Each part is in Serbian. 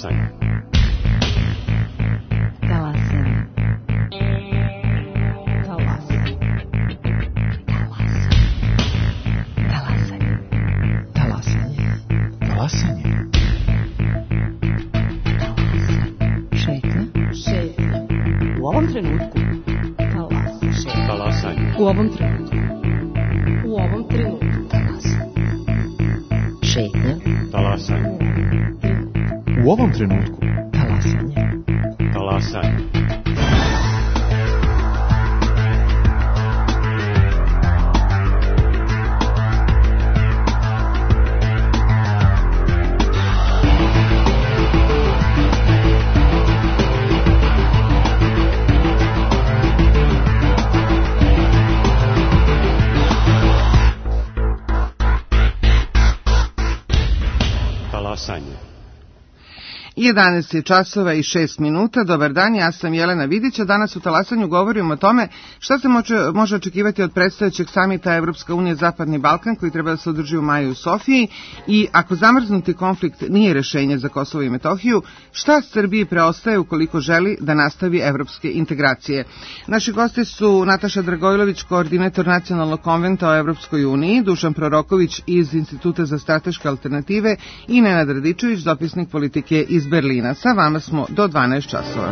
Talasanje. Talasanje. Talasanje. Talasanje. Talasanje. Talasanje. Šetnja. Šetnja. U ovom trenutku. Talasanje. Talasanje. U ovom trenutku. U ovom trenutku. Talasanje. Šetnja. Talasanje. U ovom trenutku. Talasanje. Talasanje. Talasanje. 11 je časova i 6 minuta. Dobar dan, ja sam Jelena Vidić, a danas u Talasanju govorimo o tome šta se može očekivati od predstojećeg samita Evropska unija Zapadni Balkan koji treba da se održi u maju u Sofiji i ako zamrznuti konflikt nije rešenje za Kosovo i Metohiju, šta Srbiji preostaje ukoliko želi da nastavi evropske integracije. Naši gosti su Nataša Dragojlović, koordinator Nacionalnog konventa o Evropskoj uniji, Dušan Proroković iz Instituta za strateške alternative i Nenad Radičević, dopisnik politike iz Berlina. Sa vama smo do 12 časova.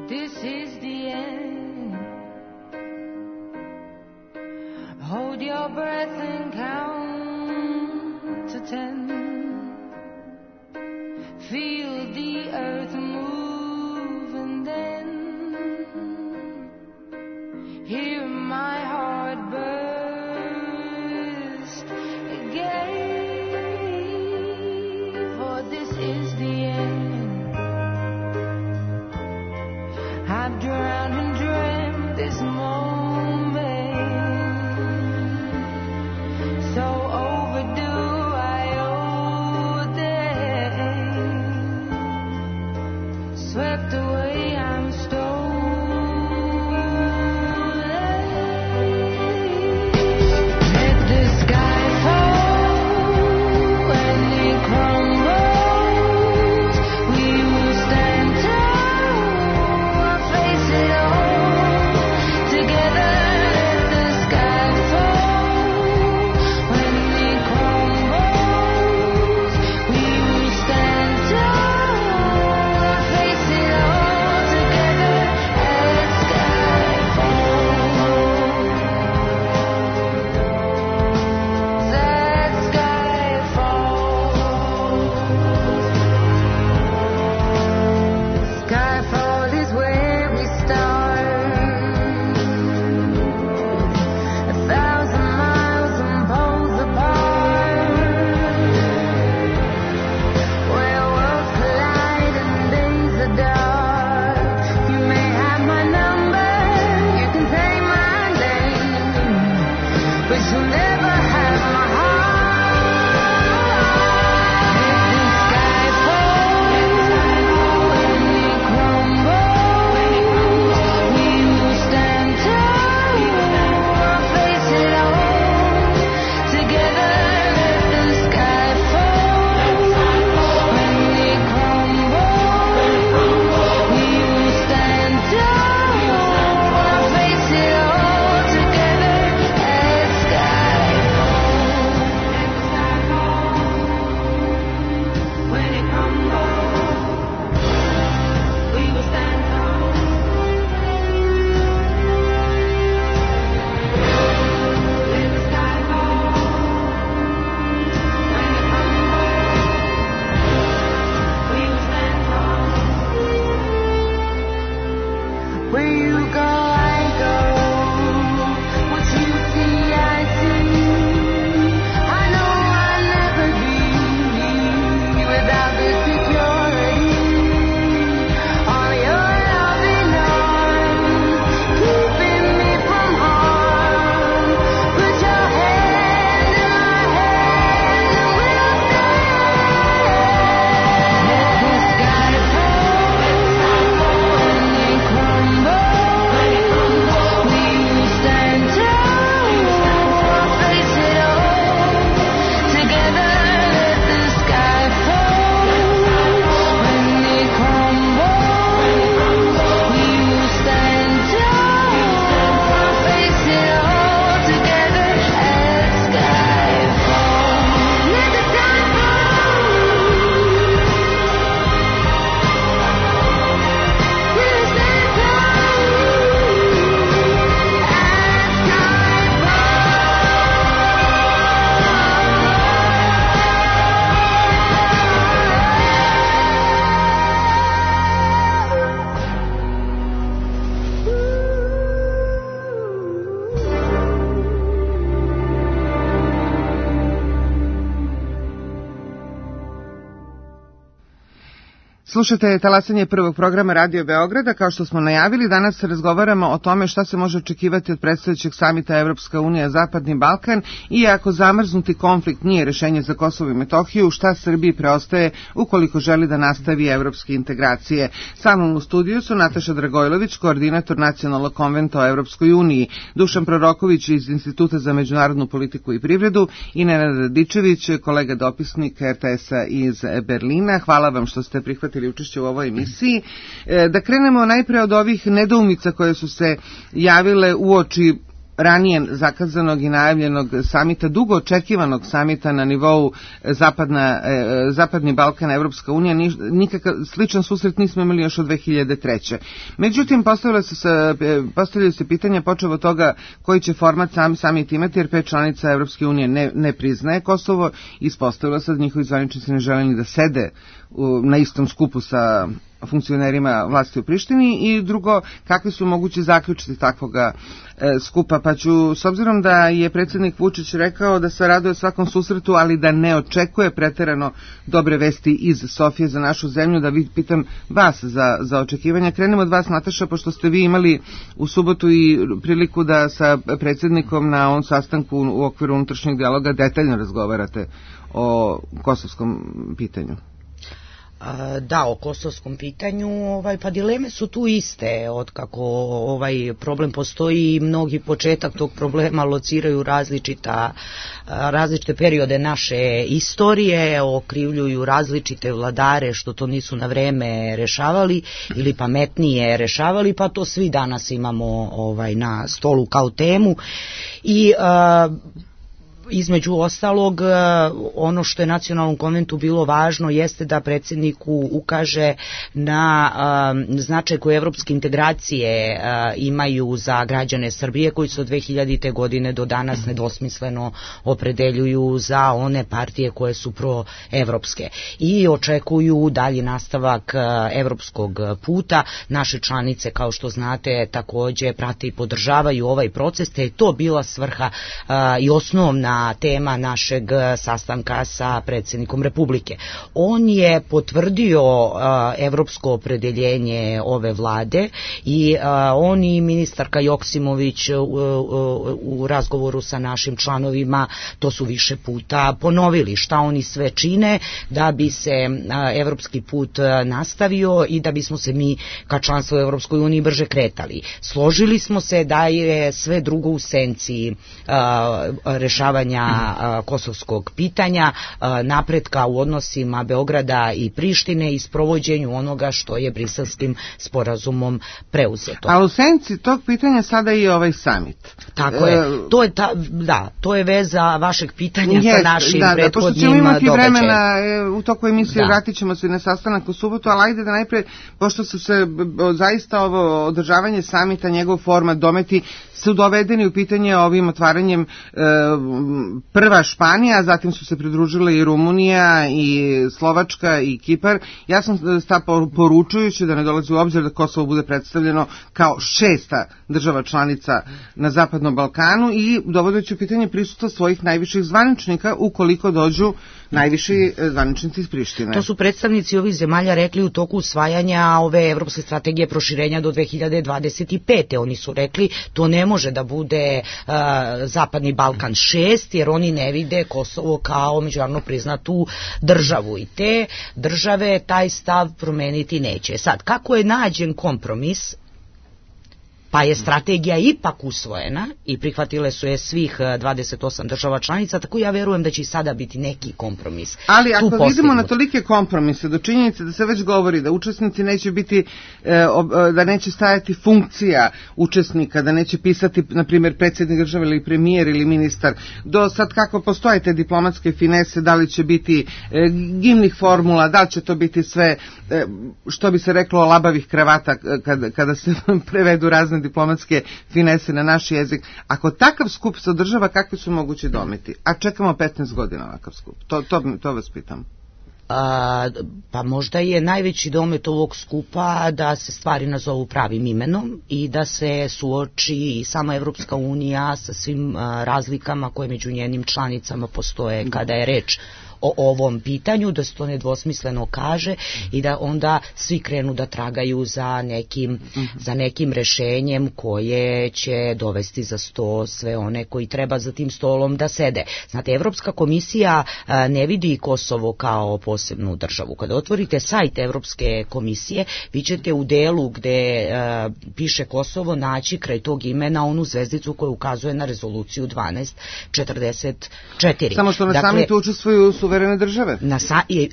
This is the end. Hold your breath and count to 10. Feel the earth move and then hear my heart burst again. For this is the end. I've drowned and dreamt this moment, so overdue I owe them. Swept away, I'm stolen. Let the sky fall and it crumbles. We will stand tall. Face it all together. Let the sky fall when it crumbles. We will stand tall. Face it all together as sky falls. As sky falls. Skyfall is where we start. 1,000 miles and poles apart, where worlds collide and days are dark. You may have my number, you can say my name, but you'll never have my heart. Let the sky fall when it crumbles. We will stand tall, face it all together. Let the sky fall when it crumbles. We will stand tall, face it all together as sky Slušajte talasanje prvog programa Radio Beograda. Kao što smo najavili, danas razgovaramo o tome šta se može očekivati od predstojećeg samita Evropska unija Zapadni Balkan i ako zamrznuti konflikt nije rešenje za Kosovo i Metohiju, šta Srbiji preostaje ukoliko želi da nastavi evropske integracije. Sa mnom u studiju su Nataša Dragojlović, koordinator Nacionalnog konventa o Evropskoj uniji, Dušan Proroković iz Instituta za međunarodnu politiku i privredu i Nenad Radičević, kolega dopisnik RTS-a iz Berlina. Hvala vam što ste prihvatili učešće u ovoj emisiji. Da krenemo najpre od ovih nedoumica koje su se javile uoči ranije zakazanog i najavljenog samita, dugo očekivanog samita na nivou Zapadni Balkan, Evropska unija. Nikakav sličan susret nismo imali još od 2003. Međutim, postavljaju se pitanja počev od toga koji će format samit imati, jer 5 članica Evropske unije ne priznaje Kosovo. Ispostavilo se da njihovi zvaničnici ne žele ni da sede na istom skupu sa funkcionerima vlasti u Prištini, i drugo, kakvi su mogući zaključci takvoga skupa. Pa ću, s obzirom da je predsjednik Vučić rekao da se raduje svakom susretu, ali da ne očekuje preterano dobre vesti iz Sofije za našu zemlju, da pitam vas za očekivanja. Krenemo od vas, Nataša, pošto ste vi imali u subotu i priliku da sa predsjednikom na ovom sastanku u okviru unutrašnjeg dijaloga detaljno razgovarate o kosovskom pitanju. Da, o kosovskom pitanju, pa dileme su tu iste, otkako ovaj problem postoji. Mnogi početak tog problema lociraju različite periode naše istorije, okrivljuju različite vladare što to nisu na vreme rešavali ili pametnije rešavali, pa to svi danas imamo na stolu kao temu. I između ostalog, ono što je Nacionalnom konventu bilo važno jeste da predsjedniku ukaže na značaj koje evropske integracije imaju za građane Srbije, koji se od 2000. godine do danas nedvosmisleno opredeljuju za one partije koje su proevropske i očekuju dalji nastavak evropskog puta. Naše članice, kao što znate, takođe prate i podržavaju ovaj proces, te je to bila svrha i osnovna tema našeg sastanka sa predsjednikom Republike. On je potvrdio evropsko opredeljenje ove vlade i on i ministarka Joksimović u razgovoru sa našim članovima to su više puta ponovili, šta oni sve čine da bi se evropski put nastavio i da bismo se mi ka članstvu u Evropskoj uniji brže kretali. Složili smo se da je sve drugo u senci rešavanja kosovskog pitanja, napretka u odnosima Beograda i Prištine i sprovođenju onoga što je Briselskim sporazumom preuzeto. A u senci tog pitanja sada i ovaj samit. Tako je. To je veza vašeg pitanja sa našim prethodnim pošto ćemo imati vremena u toku emisije, vratit ćemo se na sastanak u subotu, ali ajde da najpre, pošto su se zaista ovo održavanje samita, njegov format, dometi su dovedeni u pitanje ovim otvaranjem prva Španija, zatim su se pridružile i Rumunija i Slovačka i Kipar. Ja sam poručujući da ne dolazi u obzir da Kosovo bude predstavljeno kao 6. država članica na Zapadnom Balkanu i dovodeći u pitanje prisustva svojih najviših zvaničnika ukoliko dođu najviši zvaničnici iz Prištine. To su predstavnici ovih zemalja rekli u toku usvajanja ove evropske strategije proširenja do 2025. Oni su rekli to ne može da bude Zapadni Balkan 6, jer oni ne vide Kosovo kao međunarodno priznatu državu i te države taj stav promeniti neće. Sad, kako je nađen kompromis, pa je strategija ipak usvojena i prihvatile su je svih 28 država članica, tako ja verujem da će i sada biti neki kompromis. Ali ako vidimo na tolike kompromise, do činjenice da se već govori da učesnici neće biti, da neće stajati funkcija učesnika, da neće pisati, na primjer, predsjednik države ili premijer ili ministar, do sad kako postoje te diplomatske finese, da li će biti gimnih formula, da li će to biti sve, što bi se reklo, labavih kravata kada se prevedu razne diplomatske finese na naš jezik. Ako takav skup se održava, kakvi su mogući dometi? A čekamo 15 godina ovakav skup. To vas pitam. Pa možda je najveći domet ovog skupa da se stvari nazovu pravim imenom i da se suoči i sama Evropska unija sa svim razlikama koje među njenim članicama postoje kada je reč o ovom pitanju, da se to nedvosmisleno kaže i da onda svi krenu da tragaju za nekim rešenjem koje će dovesti za sto sve one koji treba za tim stolom da sede. Znate, Evropska komisija ne vidi Kosovo kao posebnu državu. Kada otvorite sajt Evropske komisije, vi ćete u delu gde piše Kosovo naći kraj tog imena onu zvezdicu koja ukazuje na rezoluciju 1244. Samo što na samitu učestvuju suverene države.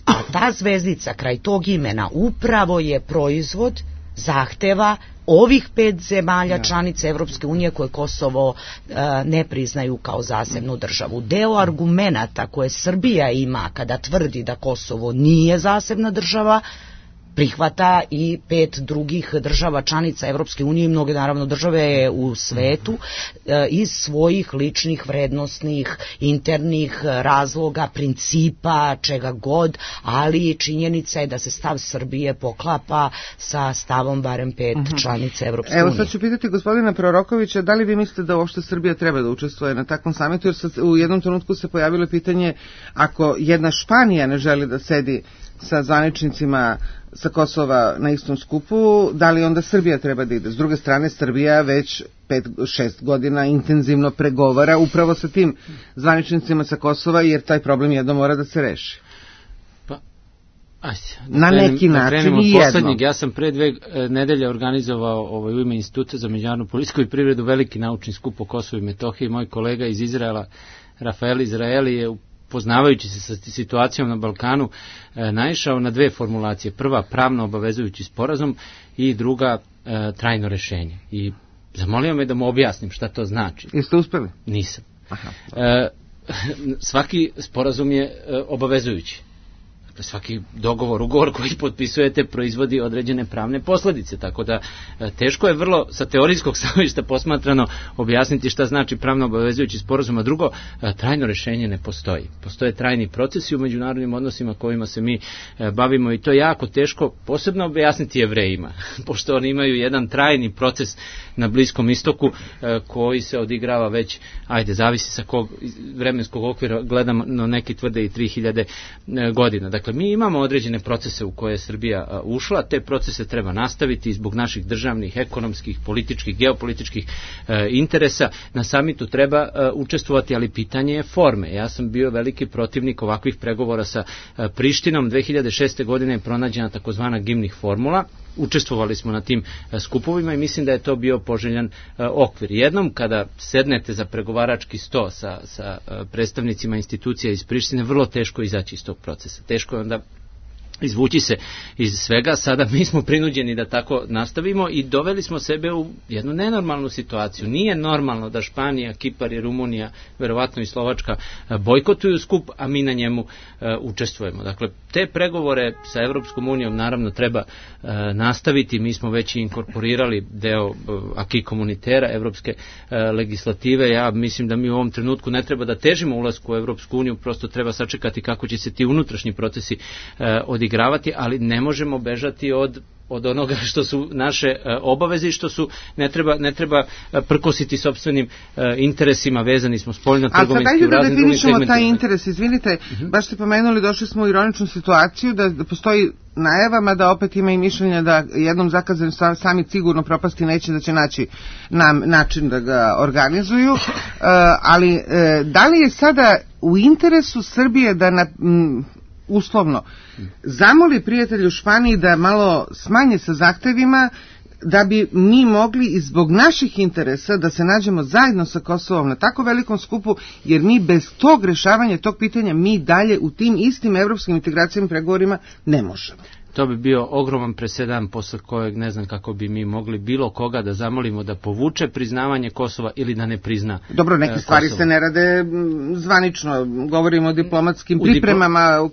A ta zvezdica kraj tog imena upravo je proizvod zahteva ovih 5 zemalja članica Evropske unije koje Kosovo ne priznaju kao zasebnu državu. Deo argumenata koje Srbija ima kada tvrdi da Kosovo nije zasebna država prihvata i 5 drugih država članica Evropske unije i mnoge naravno države u svetu iz svojih ličnih vrednostnih internih razloga, principa, čega god, ali činjenica je da se stav Srbije poklapa sa stavom barem 5 članica Evropske unije. Evo sad ću pitati gospodina Prorokovića, da li vi mislite da uopšte Srbija treba da učestvuje na takvom samitu, jer u jednom trenutku se pojavilo pitanje ako jedna Španija ne želi da sedi sa zvaničnicima sa Kosova na istom skupu, da li onda Srbija treba da ide? S druge strane, Srbija već 5-6 godina intenzivno pregovara upravo sa tim zvaničnicima sa Kosova, jer taj problem jedno mora da se reši. Na neki način i jedno. Ja sam pre 2 nedelje organizovao u ime Instituta za međunarodnu politiku i privredu veliki naučni skup o Kosovu i Metohiji. Moj kolega iz Izraela, Rafael Izraeli, je poznavajući se sa situacijom na Balkanu naišao na 2 formulacije. Prva, pravno obavezujući sporazum i druga, trajno rešenje. I zamolio me da mu objasnim šta to znači. Jeste uspeli? Nisam. Svaki sporazum je obavezujući. Svaki ugovor koji potpisujete proizvodi određene pravne posledice, tako da teško je vrlo sa teorijskog stanovišta posmatrano objasniti šta znači pravno obavezujući sporazum, a drugo, trajno rešenje ne postoji. Postoje trajni procesi u međunarodnim odnosima kojima se mi bavimo i to je jako teško posebno objasniti Jevrejima, pošto oni imaju jedan trajni proces na Bliskom istoku koji se odigrava već, zavisi sa kog vremenskog okvira gledamo, no neki tvrde i 3000 godina. Dakle, mi imamo određene procese u koje je Srbija ušla, te procese treba nastaviti zbog naših državnih, ekonomskih, političkih, geopolitičkih interesa. Na samitu treba učestvovati, ali pitanje je forme. Ja sam bio veliki protivnik ovakvih pregovora sa Prištinom. 2006. godine je pronađena takozvana Gimnih formula. Učestvovali smo na tim skupovima i mislim da je to bio poželjan okvir. Jednom kada sednete za pregovarački sto sa predstavnicima institucija iz Prištine, vrlo teško izaći iz tog procesa. Teško je onda izvući se iz svega. Sada mi smo prinuđeni da tako nastavimo i doveli smo sebe u jednu nenormalnu situaciju. Nije normalno da Španija, Kipar i Rumunija, verovatno i Slovačka, bojkotuju skup, a mi na njemu učestvujemo. Dakle, te pregovore sa Evropskom unijom naravno treba nastaviti. Mi smo već inkorporirali deo acquis communautaire evropske legislative. Ja mislim da mi u ovom trenutku ne treba da težimo ulasku u Evropsku uniju, prosto treba sačekati kako će se ti unutrašnji procesi odigravati, ali ne možemo bežati od onoga što su naše obaveze i što su ne treba prkositi sopstvenim interesima, vezani smo spoljno-trgovinski u raznim drugim segmentima. A sad ajde da definišemo taj interes, izvinite, baš ste pomenuli, došli smo u ironičnu situaciju da postoji najavama da opet ima i mišljenja da jednom zakazan samit sigurno propasti neće, da će naći način da ga organizuju, ali da li je sada u interesu Srbije da uslovno zamoli prijatelju Španiji da malo smanje sa zahtevima da bi mi mogli i zbog naših interesa da se nađemo zajedno sa Kosovom na tako velikom skupu, jer mi bez tog rešavanja tog pitanja mi dalje u tim istim evropskim integracijama pregovorima ne možemo. To bi bio ogroman presedan posle kojeg ne znam kako bi mi mogli bilo koga da zamolimo da povuče priznavanje Kosova ili da ne prizna Kosovo. Dobro, neke stvari se ne rade zvanično, govorimo o diplomatskim pripremama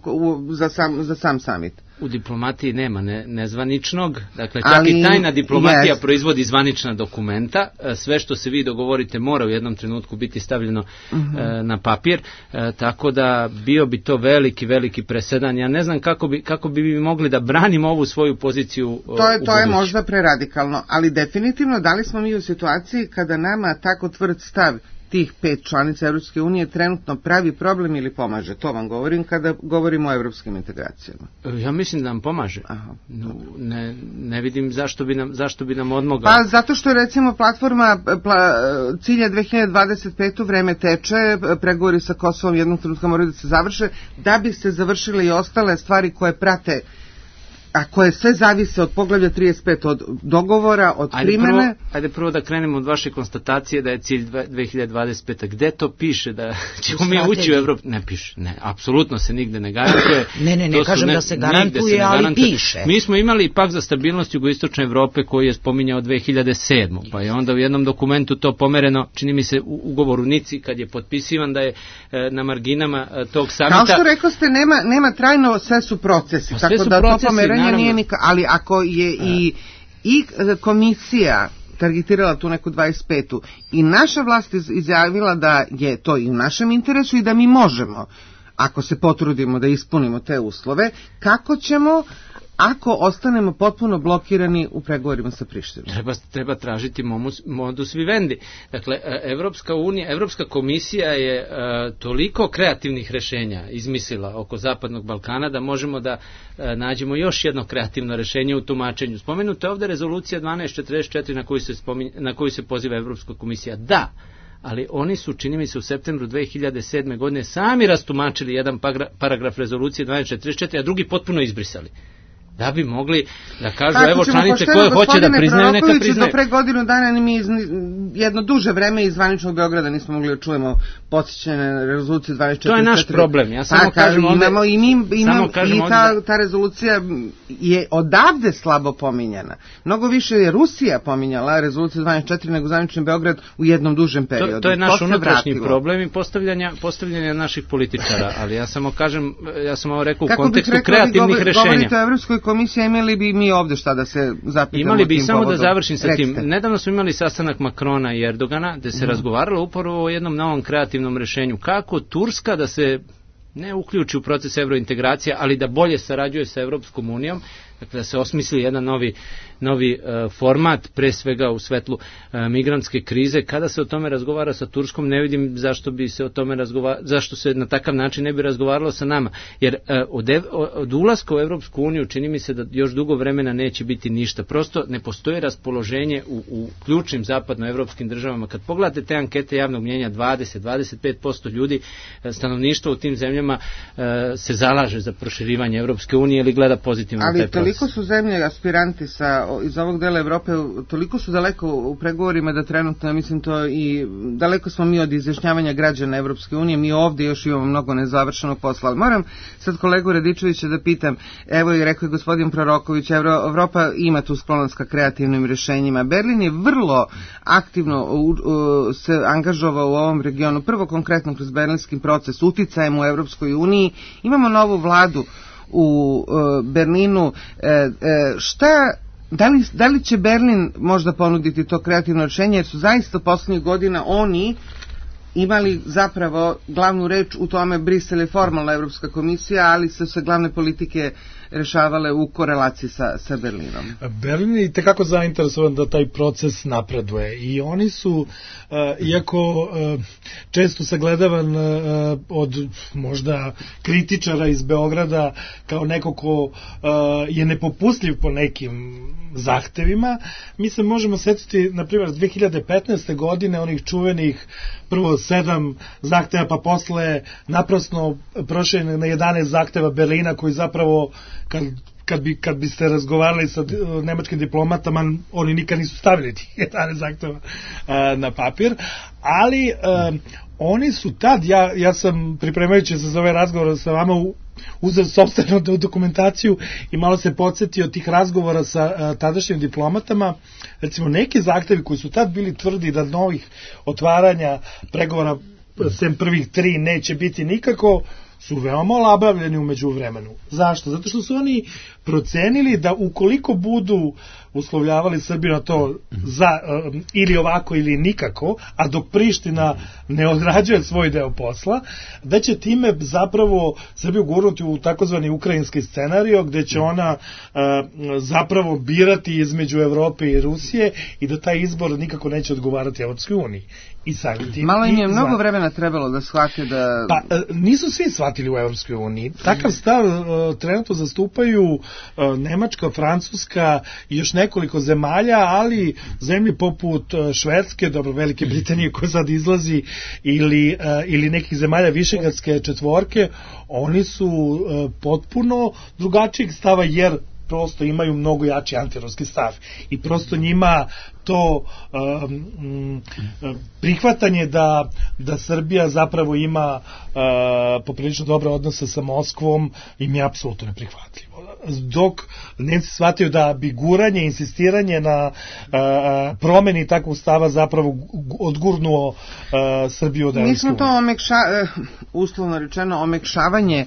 za sam samit. U diplomatiji nema nezvaničnog, dakle čak i tajna diplomatija proizvodi zvanična dokumenta, sve što se vi dogovorite mora u jednom trenutku biti stavljeno na papir, tako da bio bi to veliki presedan. Ja ne znam kako bi mi mogli da branimo ovu svoju poziciju. To je možda preradikalno, ali definitivno da li smo mi u situaciji kada nama tako tvrd stav tih 5 članica Evropske unije trenutno pravi problem ili pomaže? To vam govorim kada govorimo o evropskim integracijama. Ja mislim da nam pomaže. Aha. Ne vidim zašto bi nam odmogao. Pa zato što je recimo platforma cilja 2025. vreme teče, pregovori sa Kosovom jednog trenutka moraju da se završe, da bi se završile i ostale stvari koje prate, a koje sve zavise od poglavlja 35, od dogovora, od primene. Ajde prvo da krenemo od vaše konstatacije da je cilj 2025. Gde to piše da ćemo mi ući u Evropu? Ne piše, ne, apsolutno se nigde ne garantuje. Ne kažem da se garantuje, ali piše. Mi smo imali pakt za stabilnost jugoistočne Evrope koji je spominjao 2007. Pa je onda u jednom dokumentu to pomereno, čini mi se u ugovoru Nici, kad je potpisivan da je na marginama tog samita. Kao što rekao ste, nema trajno, sve su procesi, tako da to pomeranje nije nikak, ali ako je i komisija targetirala tu neku 25. i naša vlast izjavila da je to i u našem interesu i da mi možemo, ako se potrudimo da ispunimo te uslove, kako ćemo ako ostanemo potpuno blokirani u pregovorima sa Prištinom? Treba tražiti modus vivendi. Dakle, Evropska komisija je toliko kreativnih rešenja izmislila oko Zapadnog Balkana da možemo da nađemo još jedno kreativno rešenje u tumačenju. Spomenuta je ovde rezolucija 1244 na koju se poziva Evropska komisija. Da, ali oni su, čini mi se, u septembru 2007. godine sami rastumačili jedan paragraf rezolucije 1244, a drugi potpuno izbrisali. Da bi mogli da kažu, evo članice koje hoće da priznaju, neka priznaju. Do pre godinu dana mi jedno duže vreme iz zvaničnog Beograda nismo mogli da čujemo podsjećene rezolucije 1244. To je naš problem. Ja samo kažem ovde... Ta rezolucija je odavde slabo pominjana. Mnogo više je Rusija pominjala rezoluciju 1244 nego zvanični Beograd u jednom dužem periodu. To je naš unutrašnji problem i postavljanja naših političara, ali ja samo kažem, ja sam ovo rekao u kontekstu kreativnih rešenja. Govorite o Evropskoj komisiji, imali bi mi ovde šta da se zapitamo. Imali bi, samo da završim sa tim. Nedavno smo imali sastanak Makrona i Erdogana, gde se razgovaralo upravo o jednom novom kreativnom rešenju. Kako Turska da se ne uključi u proces evrointegracija, ali da bolje sarađuje sa Evropskom unijom, dakle da se osmisli jedan novi format, pre svega u svetlu migrantske krize. Kada se o tome razgovara sa Turskom, ne vidim zašto se na takav način ne bi razgovaralo sa nama. Jer od ulaska u Evropsku uniju čini mi se da još dugo vremena neće biti ništa. Prosto ne postoji raspoloženje u ključnim zapadnoevropskim državama. Kad pogledate te ankete javnog mnjenja, 20-25% ljudi, stanovništva u tim zemljama se zalaže za proširivanje Evropske unije ili gleda pozitivno taj proces. Ali toliko su zemlje aspiranti iz ovog dela Evrope, toliko su daleko u pregovorima da trenutno, mislim to i daleko smo mi od izjašnjavanja građana Evropske unije, mi ovde još imamo mnogo nezavršenog posla. Ali moram sad kolegu Radičevića da pitam, evo i rekao je gospodin Proroković, Evropa ima tu sklonost ka kreativnim rešenjima. Berlin je vrlo aktivno se angažovao u ovom regionu, prvo konkretno kroz berlinski proces, uticajem u Evropskoj uniji, imamo novu vladu u Berlinu. Da li će Berlin možda ponuditi to kreativno rešenje, jer su zaista poslednjih godina oni imali zapravo glavnu reč u tome. Brisel je formalna Evropska komisija, ali su se glavne politike rešavale u korelaciji sa Berlinom. Berlin je itekako zainteresovan da taj proces napreduje i oni su, iako često sagledavan od možda kritičara iz Beograda kao neko ko je nepopustljiv po nekim zahtevima, mi se možemo setiti, na primjer, 2015. godine onih čuvenih prvo 7 zahteva, pa posle naprasno prošli na 11 zahteva Berlina, koji zapravo kad biste razgovarali sa nemačkim diplomatama, oni nikad nisu stavili tih 11 zahteva na papir, ali oni su tad, ja sam pripremajući se za ovaj razgovor sa vama uzeo sopstvenu dokumentaciju i malo se podsjetio tih razgovora sa tadašnjim diplomatama. Recimo, neki zahtevi koji su tad bili tvrdi da novih otvaranja pregovora sem prvih 3 neće biti nikako, su veoma olabavljeni umeđu vremenu. Zašto? Zato što su oni procenili da ukoliko budu uslovljavali Srbiju na to ili ovako ili nikako, a dok Priština ne odrađuje svoj deo posla, da će time zapravo Srbiju gurnuti u takozvani ukrajinski scenario, gde će ona zapravo birati između Evrope i Rusije i da taj izbor nikako neće odgovarati Evropskoj uniji. Malo im je mnogo vremena trebalo da shvate da... Pa, nisu svi shvatili u Evropskoj uniji. Takav stav trenutno zastupaju Nemačka, Francuska i još nekoliko zemalja, ali zemlje poput Švedske, dobro, Velike Britanije koja sad izlazi, ili nekih zemalja Višegradske četvorke, oni su potpuno drugačijeg stava, jer prosto imaju mnogo jači antiruski stav i prosto njima to prihvatanje da Srbija zapravo ima poprilično dobre odnose sa Moskvom im je apsolutno neprihvatljivo. Dok Nemci shvataju da bi guranje, insistiranje na promeni takvog stava zapravo odgurnuo Srbiju od Evropske unije. Mi smo to uslovno rečeno omekšavanje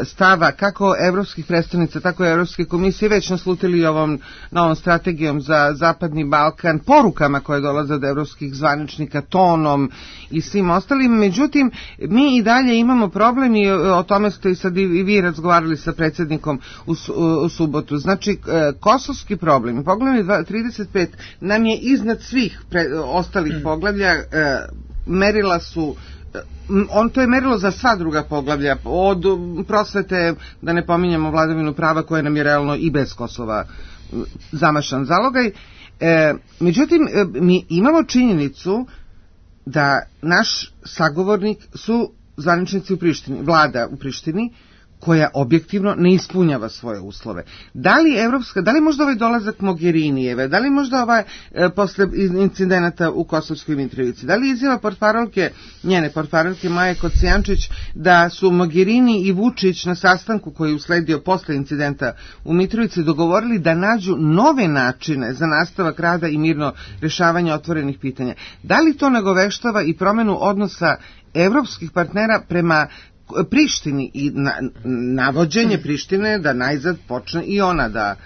stava kako evropskih predstavnica, tako i Evropske komisije već naslutili ovom novom strategijom za Zapadni Balkan, porukama koje dolaze od evropskih zvaničnika, tonom i svim ostalim. Međutim, mi i dalje imamo problem i o tome ste i sad i vi razgovarali sa predsjednikom u subotu. Znači, kosovski problem, poglavlje 35 nam je iznad svih ostalih poglavlja, merila su to je merilo za sva druga poglavlja, od prosvete, da ne pominjamo vladavinu prava koja nam je realno i bez Kosova zamašan zalogaj. Međutim, mi imamo činjenicu da naš sagovornik su zvaničnici u Prištini, vlada u Prištini, koja objektivno ne ispunjava svoje uslove. Da li možda ovaj dolazak Mogherinijeve, da li možda posle incidenata u Kosovskoj Mitrovici, da li izjava njene portparolke Maje Kocijančić da su Mogherini i Vučić na sastanku koji je usledio posle incidenta u Mitrovici dogovorili da nađu nove načine za nastavak rada i mirno rešavanje otvorenih pitanja. Da li to nagoveštava i promenu odnosa evropskih partnera prema Prištini i navođenje Prištine da najzad počne i ona da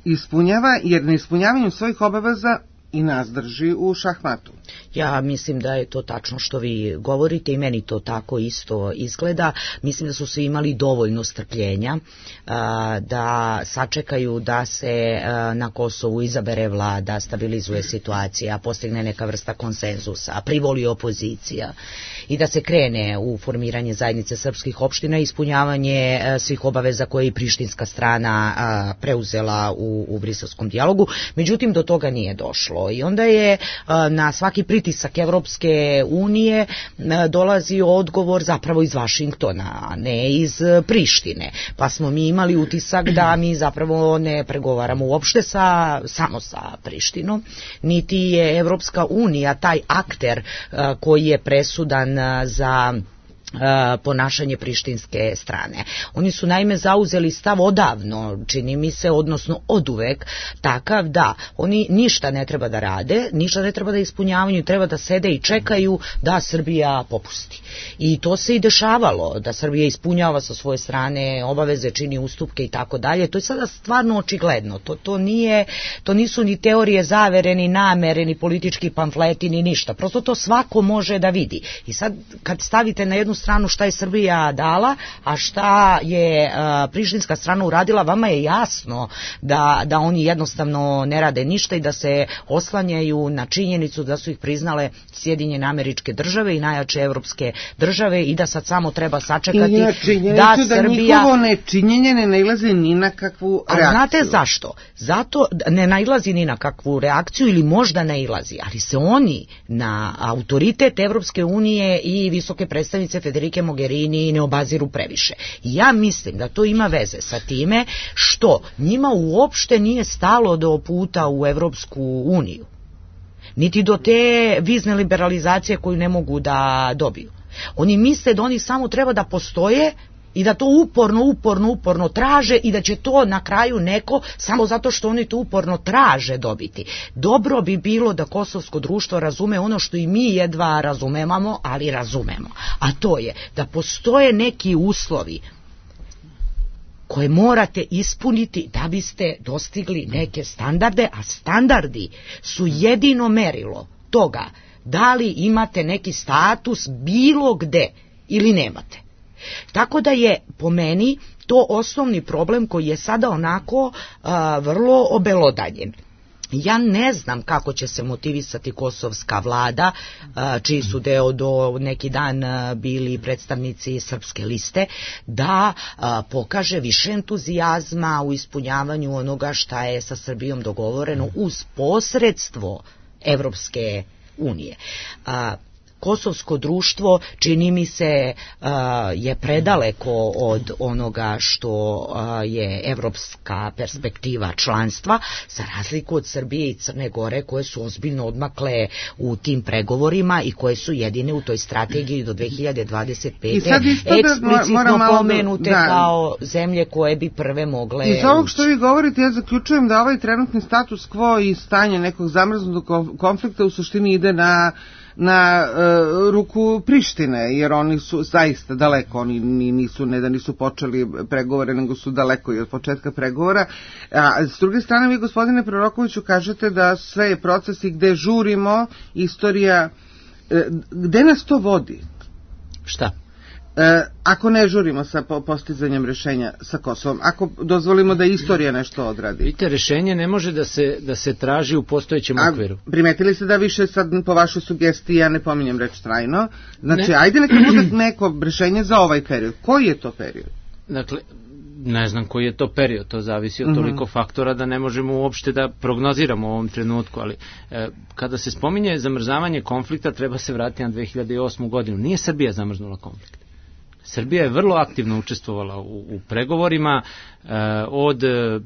ispunjava, jer neispunjavanjem svojih obaveza i nas drži u šahmatu. Ja mislim da je to tačno što vi govorite i meni to tako isto izgleda. Mislim da su svi imali dovoljno strpljenja da sačekaju da se na Kosovu izabere vlada, stabilizuje situacija, postigne neka vrsta konsenzusa, privoli opozicija i da se krene u formiranje zajednice srpskih opština i ispunjavanje svih obaveza koje je prištinska strana preuzela u briselskom dijalogu. Međutim, do toga nije došlo. I onda je na svaki pritisak Evropske unije dolazio odgovor zapravo iz Vašingtona, a ne iz Prištine. Pa smo mi imali utisak da mi zapravo ne pregovaramo uopšte samo sa Prištinom, niti je Evropska unija taj akter koji je presudan za ponašanje prištinske strane. Oni su naime zauzeli stav odavno, čini mi se, odnosno oduvek, takav da oni ništa ne treba da rade, ništa ne treba da ispunjavaju, treba da sede i čekaju da Srbija popusti. I to se i dešavalo, da Srbija ispunjava sa svoje strane obaveze, čini ustupke i tako dalje. To je sada stvarno očigledno. To nisu ni teorije zavere, ni namere, ni politički pamfleti, ni ništa. Prosto to svako može da vidi. I sad kad stavite na jednu stranu šta je Srbija dala, a šta je prištinska strana uradila, vama je jasno da oni jednostavno ne rade ništa i da se oslanjaju na činjenicu da su ih priznale Sjedinjene Američke Države i najjače evropske države i da sad samo treba sačekati da Srbija... njihovo nečinjenje ne nailazi ni na kakvu reakciju. A znate zašto? Zato ne nailazi ni na kakvu reakciju ili možda nailazi, ali se oni na autoritet Evropske unije i visoke predstavnice Federike Mogherini ne obaziru previše. I ja mislim da to ima veze sa time što njima uopšte nije stalo do puta u Evropsku uniju, niti do te vizne liberalizacije koju ne mogu da dobiju. Oni misle da oni samo treba da postoje i da to uporno traže i da će to na kraju neko, samo zato što oni to uporno traže, dobiti. Dobro bi bilo da kosovsko društvo razume ono što i mi jedva razumemo, ali razumemo. A to je da postoje neki uslovi koje morate ispuniti da biste dostigli neke standarde, a standardi su jedino merilo toga da li imate neki status bilo gde ili nemate. Tako da je po meni to osnovni problem koji je sada onako vrlo obelodanjen. Ja ne znam kako će se motivisati kosovska vlada, čiji su deo do neki dan bili predstavnici Srpske liste, da pokaže više entuzijazma u ispunjavanju onoga šta je sa Srbijom dogovoreno uz posredstvo Evropske unije. Kosovsko društvo, čini mi se, je predaleko od onoga što je evropska perspektiva članstva, za razliku od Srbije i Crne Gore, koje su ozbiljno odmakle u tim pregovorima i koje su jedine u toj strategiji do 2025. eksplicitno pomenute kao zemlje koje bi prve mogle Iz ovog što vi govorite, ja zaključujem da ovaj trenutni status quo i stanje nekog zamrznutog konflikta u suštini ide na ruku Prištine, jer oni su zaista daleko, oni ne da nisu počeli pregovore, nego su daleko i od početka pregovora. A s druge strane, vi, gospodine Prorokoviću, kažete da sve je proces i gde žurimo, istorija, gde nas to vodi? Šta? Ako ne žurimo sa postizanjem rešenja sa Kosovom, ako dozvolimo da istorija nešto odradi. Vidite, rešenje ne može da se traži u postojećem okviru. Primetili ste da više sad po vašoj sugestiji, ja ne pominjem reč trajno, znači ajde neka bude neko rešenje za ovaj period. Koji je to period? Dakle, ne znam koji je to period, to zavisi od toliko faktora da ne možemo uopšte da prognoziramo u ovom trenutku, ali kada se spominje zamrzavanje konflikta, treba se vratiti na 2008. godinu. Nije Srbija zamrznula konflikt. Srbija je vrlo aktivno učestvovala u pregovorima, od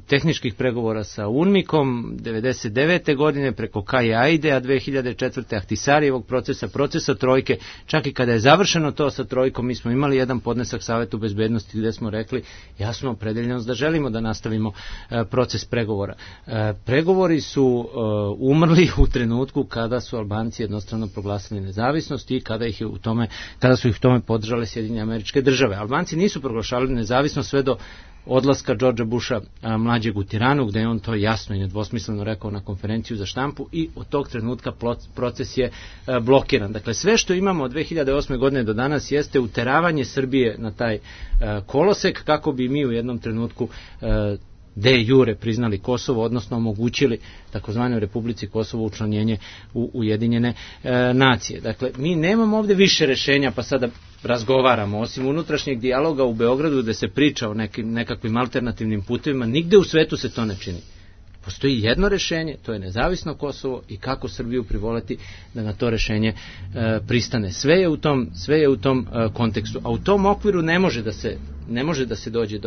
tehničkih pregovora sa UNMIK-om 1999. godine preko Kaje Aide, 2004. Ahtisarijevog procesa trojke. Čak i kada je završeno to sa trojkom, mi smo imali jedan podnesak Savetu bezbednosti gde smo rekli jasno opredeljenost da želimo da nastavimo proces pregovora. Pregovori su umrli u trenutku kada su Albanci jednostrano proglasili nezavisnost i kada su ih u tome podržale Sjedinjene Američke Države. Albanci nisu proglašavali nezavisnost sve do odlaska Georgea Busha mlađeg u Tiranu, gde je on to jasno i nedvosmisleno rekao na konferenciju za štampu, i od tog trenutka proces je blokiran. Dakle, sve što imamo od 2008. godine do danas jeste uteravanje Srbije na taj kolosek, kako bi mi u jednom trenutku de jure priznali Kosovo, odnosno omogućili takozvanoj Republici Kosovo učlanjenje u Ujedinjene nacije. Dakle, mi nemamo ovde više rešenja pa sada razgovaramo, osim unutrašnjeg dijaloga u Beogradu gde se priča o nekakvim alternativnim putevima, nigde u svetu se to ne čini. Postoji jedno rešenje, to je nezavisno Kosovo i kako Srbiju privoleti da na to rešenje pristane. Sve je u tom kontekstu, a u tom okviru ne može da se dođe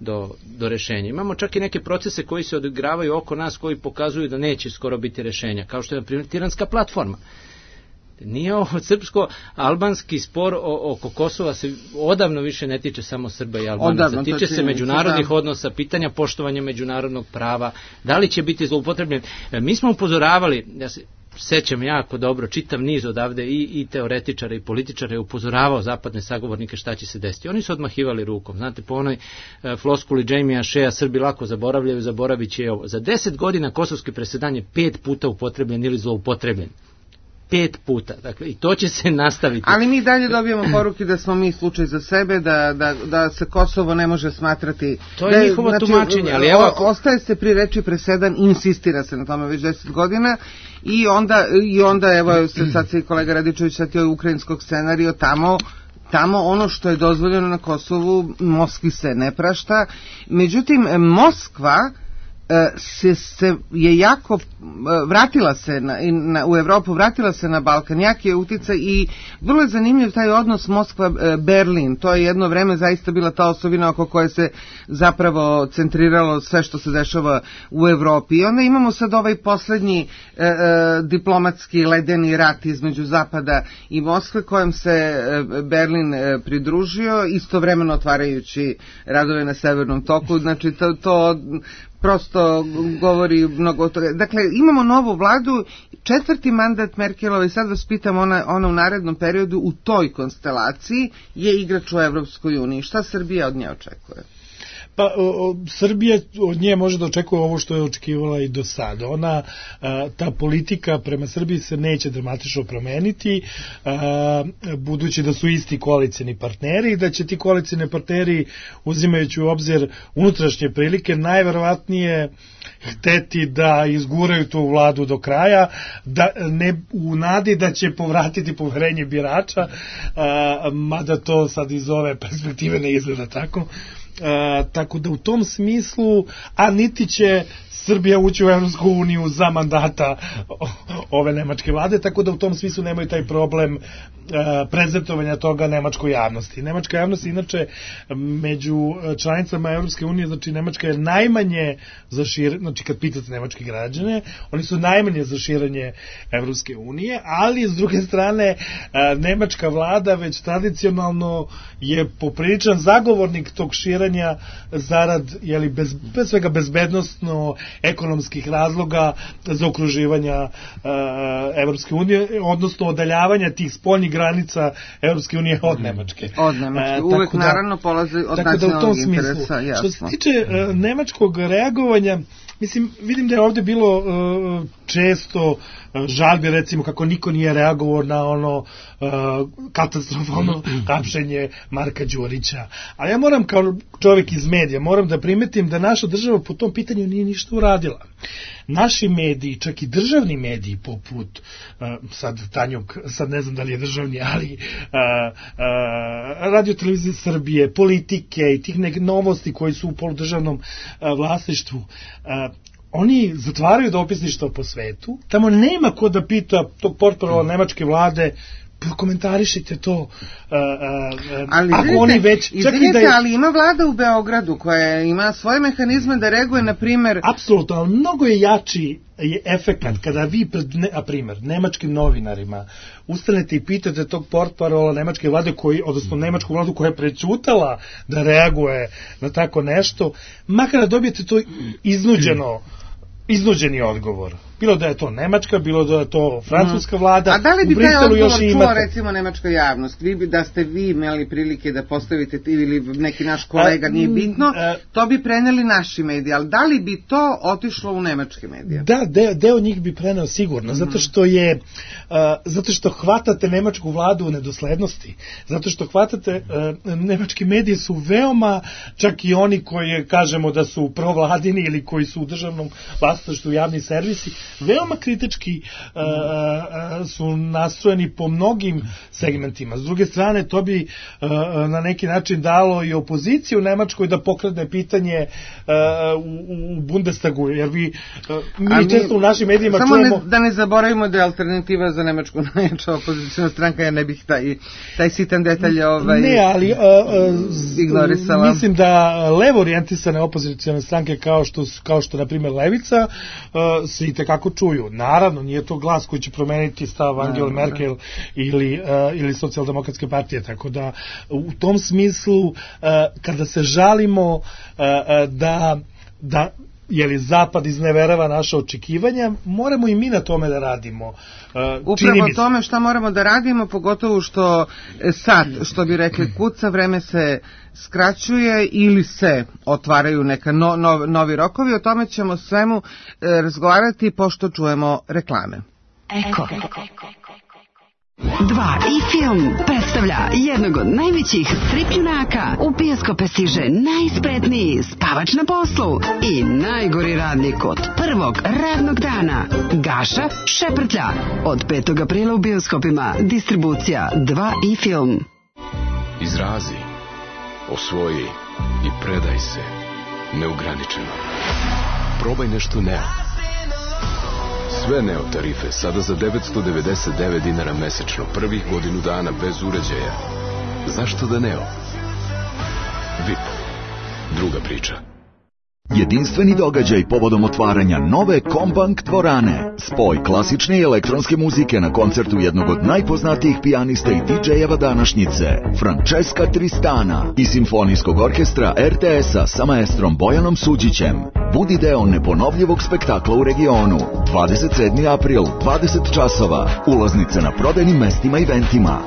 do rešenja. Imamo čak i neke procese koji se odigravaju oko nas, koji pokazuju da neće skoro biti rešenja, kao što je na primjer Tiranska platforma. Nije ovo srpsko-albanski spor oko Kosova se odavno više ne tiče samo Srba i Albanaca. Tiče se međunarodnih odnosa, pitanja poštovanja međunarodnog prava, da li će biti zloupotrebljen. Mi smo upozoravali, ja se sećam jako dobro, čitav niz odavde i teoretičara i političara je upozoravao zapadne sagovornike šta će se desiti. Oni su odmahivali rukom. Znate, po onoj floskuli Jamie Shea, Srbi lako zaboravljaju, zaboravit će ovo. Za 10 godina kosovski presedan je 5 puta upotrebljen ili zloupotrebljen. 5 puta. Dakle, i to će se nastaviti. Ali mi dalje dobijemo poruke da smo mi slučaj za sebe, da se Kosovo ne može smatrati... To je njihovo tumačenje, ali evo... Ostaje se pri reči presedan, insistira se na tome već 10 godina i onda evo, sad se i kolega Radičević setio ukrajinskog scenarija, tamo ono što je dozvoljeno na Kosovu, Moskvi se ne prašta. Međutim, Moskva je jako vratila se u Evropu, vratila se na Balkan, jak je uticaj i vrlo je zanimljiv taj odnos Moskva-Berlin. To je jedno vreme zaista bila ta osobina oko koje se zapravo centriralo sve što se dešava u Evropi. I onda imamo sad ovaj poslednji diplomatski ledeni rat između Zapada i Moskve kojem se Berlin pridružio, istovremeno otvarajući radove na Severnom toku. Znači to prosto govori mnogo o toga. Dakle, imamo novu vladu, 4. mandat Merkelove, i sad vas pitam, ona u narednom periodu u toj konstelaciji je igrač u Evropskoj uniji. Šta Srbija od nje očekuje? Pa Srbija od nje može da očekuje ovo što je očekivala i do sada. Ona, ta politika prema Srbiji se neće dramatično promeniti, budući da su isti koalicioni partneri i da će ti koalicioni partneri, uzimajući u obzir unutrašnje prilike, najverovatnije hteti da izguraju tu vladu do kraja, da ne u nadi da će povratiti poverenje birača, mada to sad iz ove perspektive ne izgleda tako. Tako da u tom smislu, a niti će Srbija ući u Evropsku uniju za mandata ove nemačke vlade, tako da u tom smislu nemaju taj problem prezentovanja toga nemačkoj javnosti. Nemačka javnost inače među članicama Evropske unije, znači Nemačka je najmanje za širenje, znači kad pitate nemačke građane, oni su najmanje za širenje Evropske unije, ali s druge strane nemačka vlada već tradicionalno je popriličan zagovornik tog širenja zarad, bez svega bezbednostno ekonomskih razloga za okruživanja Evropske unije, odnosno odaljavanja tih spoljnih granica Evropske unije od Nemačke. Od Nemačke, uvek naravno polazi od nacionalnog interesa, jasno. Što se tiče nemačkog reagovanja, mislim, vidim da je ovde bilo često žalbi, recimo, kako niko nije reagovao na ono katastrofalno hapšenje Marka Đurića. Ali ja moram, kao čovjek iz medija, moram da primetim da naša država po tom pitanju nije ništa uradila. Naši mediji, čak i državni mediji poput sad Tanjug, sad ne znam da li je državni, ali Radio televizije Srbije, Politike i tih neke novosti koji su u poludržavnom vlasništvu, oni zatvaraju dopisništva po svetu, tamo nema ko da pita tog portparala nemačke vlade, komentarišite to, ali ako oni već... Izvinite, ali ima vlada u Beogradu koja ima svoje mehanizme da reaguje, na primer... Apsolutno, ali mnogo je jači je efekat kada vi pred, na primer, nemačkim novinarima ustanete i pitate tog portparola nemačke vlade, odnosno nemačku vladu koja je prećutala da reaguje na tako nešto, makar da dobijete to iznuđeni odgovor. Bilo da je to nemačka, bilo da je to francuska vlada. A da li bi taj odgovor čuo recimo nemačka javnost? Da ste vi imali prilike da postavite ili neki naš kolega, nije bitno, to bi preneli naši mediji, ali da li bi to otišlo u nemačke medije? Da, deo njih bi preneo sigurno, zato što hvatate nemačku vladu u nedoslednosti, zato što hvatate, nemački mediji su veoma, čak i oni koji kažemo da su provladini ili koji su u državnom vlasništvu javni servisi, veoma kritički su nastrojeni po mnogim segmentima. S druge strane, to bi na neki način dalo i opoziciju u Nemačkoj da pokrene pitanje u Bundestagu, jer mi često u našim medijima čujemo... Samo da ne zaboravimo da je alternativa za Nemačku najjača opozicijna stranka, ja ne bih taj sitan detalj Ne, ali ignorisala. Mislim da levo orijentisane opozicijne stranke kao što na primjer Levica se i tekako čuju. Naravno, nije to glas koji će promeniti stav Angela Merkel ili socijaldemokratske partije, tako da u tom smislu kada se žalimo da Zapad izneverava naše očekivanja, moramo i mi na tome da radimo. Upravo tome šta moramo da radimo, pogotovo što sad, što bi rekli, kuca, vreme se skraćuje ili se otvaraju neka novi rokovi. O tome ćemo svemu razgovarati pošto čujemo reklame. Eko. 2 i film predstavlja jednog od najvećih strip junaka. U bioskope stiže najspretniji spavač na poslu i najgori radnik od prvog radnog dana. Gaša Šeprtlja. Od 5. aprila u bioskopima. Distribucija 2 i film. Izrazi, osvoji i predaj se neograničeno. Probaj nešto Neo. Sve Neo tarife sada za 999 dinara mesečno, prvih godinu dana bez uređaja. Zašto da Neo? VIP. Druga priča. Jedinstveni događaj povodom otvaranja nove Kombank dvorane. Spoj klasične i elektronske muzike na koncertu jednog od najpoznatijih pijanista i DJ-eva današnjice, Francesca Tristana, i simfonijskog orkestra RTS-a sa maestrom Bojanom Suđićem. Budi deo neponovljivog spektakla u regionu. 27. april, 20 časova. Ulaznice na prodajnim mestima i eventima.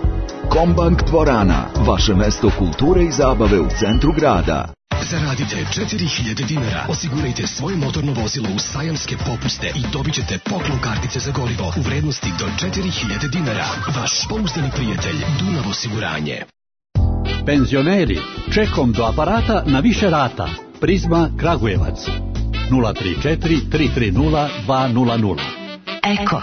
Kombank dvorana, vaše mesto kulture i zabave u centru grada. Zaradite 4000 dinara, osigurajte svoje motorno vozilo u sajamske popuste i dobit ćete poklon kartice za gorivo u vrednosti do 4000 dinara. Vaš pouzdani prijatelj Dunav osiguranje. Penzioneri, čekom do aparata na više rata. Prizma Kragujevac 034 330 200. Eko.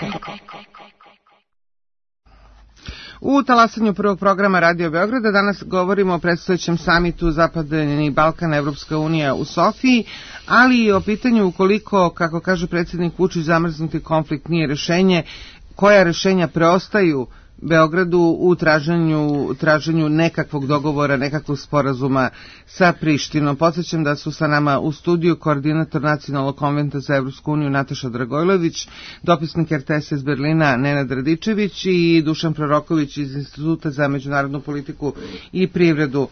U talasanju prvog programa Radio Beograda danas govorimo o predstojećem samitu Zapadni Balkan Evropska unija u Sofiji, ali i o pitanju ukoliko, kako kaže predsjednik Vučić, zamrznuti konflikt nije rešenje, koja rešenja preostaju Beogradu u traženju nekakvog dogovora, nekakvog sporazuma sa Prištinom. Podsjećam da su sa nama u studiju koordinator Nacionalnog konventa za Evropsku uniju Nataša Dragojlović, dopisnik RTS iz Berlina Nenad Radičević i Dušan Proroković iz Instituta za međunarodnu politiku i privredu.